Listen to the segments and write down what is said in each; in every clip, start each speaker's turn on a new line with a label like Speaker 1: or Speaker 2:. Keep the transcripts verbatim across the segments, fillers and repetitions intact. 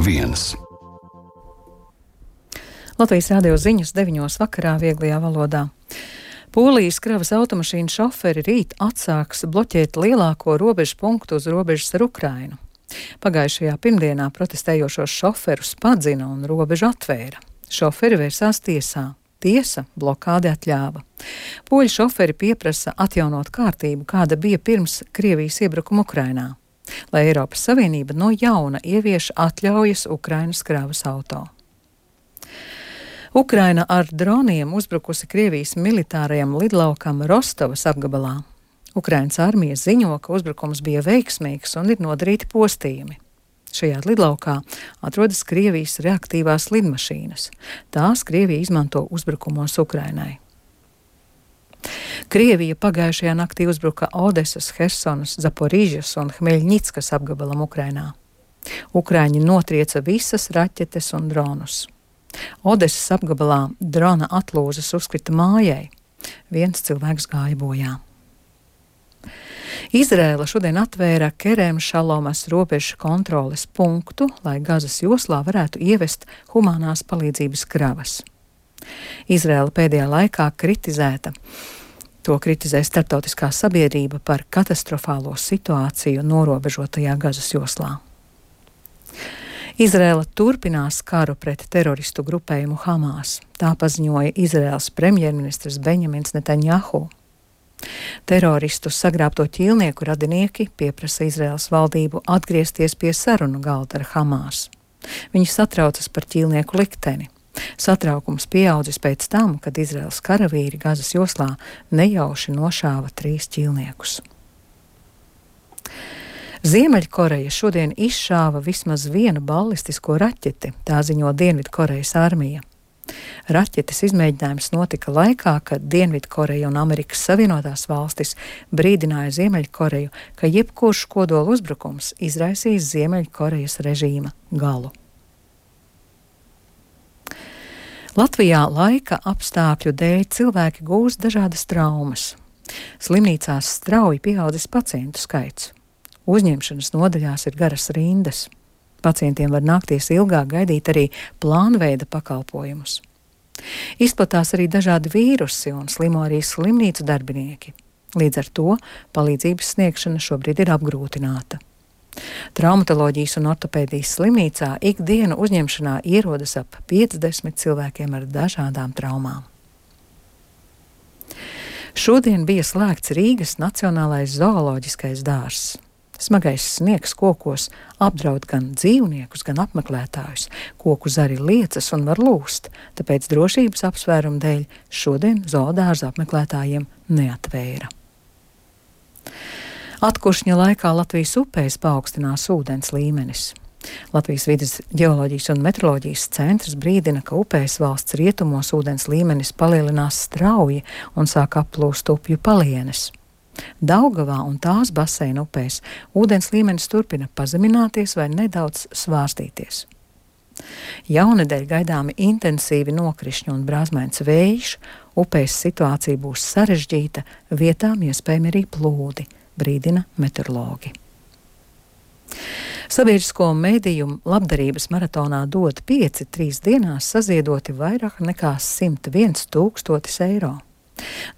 Speaker 1: viens.
Speaker 2: Latvijas radio ziņas deviņos vakarā vieglajā valodā. Polijas kravas automašīnu šoferi rīt atsāks bloķēt lielāko robežu punktu uz robežas ar Ukrainu. Pagājušajā pirmdienā protestējošos šoferus padzina un robežu atvēra. Šoferi vērsās tiesā. Tiesa blokādi atļāva. Poļu šoferi pieprasa atjaunot kārtību, kāda bija pirms Krievijas iebrukuma Ukrainā, lai Eiropas Savienība no jauna ievieš atļaujas Ukrainas kravas auto. Ukraina ar droniem uzbrukusi Krievijas militārajam lidlaukam Rostovas apgabalā. Ukrainas armija ziņo, ka uzbrukums bija veiksmīgs un ir nodarīti postījumi. Šajā lidlaukā atrodas Krievijas reaktīvās lidmašīnas. Tās Krievija izmanto uzbrukumos Ukrainai. Krievija pagājušajā naktī uzbruka Odesas, Hersonas, Zaporīžas un Hmeļņickas apgabalam Ukrainā. Ukraiņi notrieca visas raķetes un dronus. Odesas apgabalā drona atlūzas uzkrita mājai. Viens cilvēks gāja bojā. Izrēla šodien atvēra Kerem Šalomas robežu kontroles punktu, lai Gazas joslā varētu ievest humanās palīdzības kravas. Izrēla pēdējā laikā kritizēta. To kritizē starptautiskā sabiedrība par katastrofālo situāciju norobežotajā Gazas joslā. Izrēla turpinās karu pret teroristu grupējumu Hamas. Tā paziņoja Izrēlas premjerministrs Benjamins Netanjahu. Teroristu sagrābto ķīlnieku radinieki pieprasa Izrēlas valdību atgriezties pie sarunu galda ar Hamas. Viņi satraucas par ķīlnieku likteni. Satraukums pieaudzis pēc tam, kad Izrēlas karavīri Gazas joslā nejauši nošāva trīs ķīlniekus. Ziemeļkoreja šodien izšāva vismaz vienu ballistisko raķeti, tā ziņo Dienvidkorejas armija. Raķetes izmēģinājums notika laikā, kad Dienvidkoreja un Amerikas Savienotās valstis brīdināja Ziemeļkoreju, ka jebkurš kodola uzbrukums izraisīs Ziemeļkorejas režīma galu. Latvijā laika apstākļu dēļ cilvēki gūst dažādas traumas. Slimnīcās strauji pieaudzis pacientu skaits. Uzņemšanas nodaļās ir garas rindas. Pacientiem var nākties ilgāk gaidīt arī plānveida pakalpojumus. Izplatās arī dažādi vīrusi un slimo arī slimnīcu darbinieki. Līdz ar to palīdzības sniegšana šobrīd ir apgrūtināta. Traumatoloģijas un ortopēdijas slimnīcā ikdienu uzņemšanā ierodas ap piecdesmit cilvēkiem ar dažādām traumām. Šodien bija slēgts Rīgas Nacionālais zooloģiskais dārzs. Smagais sniegs kokos apdraud gan dzīvniekus, gan apmeklētājus. Koku zari liecas un var lūst, tāpēc drošības apsvērumu dēļ šodien zoodārza apmeklētājiem neatvēra. Atkuršņa laikā Latvijas upēs paaugstinās ūdens līmenis. Latvijas vides ģeoloģijas un meteoroloģijas centrs brīdina, ka upēs valsts rietumos ūdens līmenis palielinās strauji un sāk applūst upju palienes. Daugavā un tās baseina upēs ūdens līmenis turpina pazemināties vai nedaudz svārstīties. Jaunedēļ gaidāmi intensīvi nokrišņi un brāzmains vējš, upēs situācija būs sarežģīta, vietām iespējami arī plūdi, brīdina meteorologi. Sabiedrisko mediju labdarības maratonā dod pieci trīs dienās saziedoti vairāk nekā simt viens tūkstotis eiro.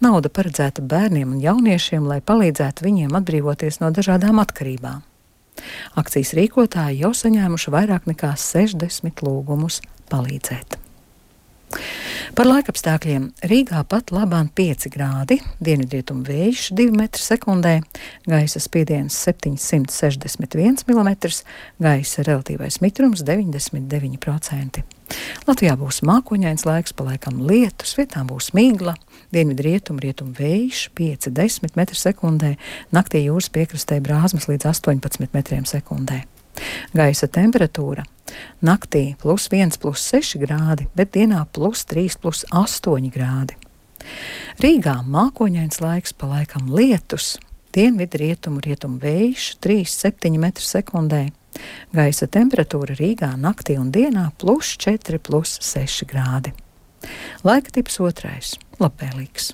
Speaker 2: Nauda paredzēta bērniem un jauniešiem, lai palīdzētu viņiem atbrīvoties no dažādām atkarībām. Akcijas rīkotāji jau saņēmuši vairāk nekā sešdesmit lūgumus palīdzēt. Par laikapstākļiem Rīgā pat labāk pieci grādi, dienvidrietumu vējš divi metri sekundē, gaisa spiediens septiņsimt sešdesmit viens milimetrs, gaisa relatīvais mitrums deviņdesmit deviņi procenti. Latvijā būs mākoņains laiks, pa laikam lietus, vietām būs migla, dienvidrietumu rietumu vējš pieci desmit metri sekundē, naktī jūras piekrastē brāzmas līdz astoņpadsmit metriem sekundē. Gaisa temperatūra naktī plus viens, plus seši grādi, bet dienā plus trīs, plus astoņi grādi. Rīgā mākoņains laiks, pa laikam lietus, dienvidu rietumu rietumu vējš trīs, septiņi metri sekundē. Gaisa temperatūra Rīgā naktī un dienā plus četri, plus seši grādi. Laika tips otrais - labvēlīgs.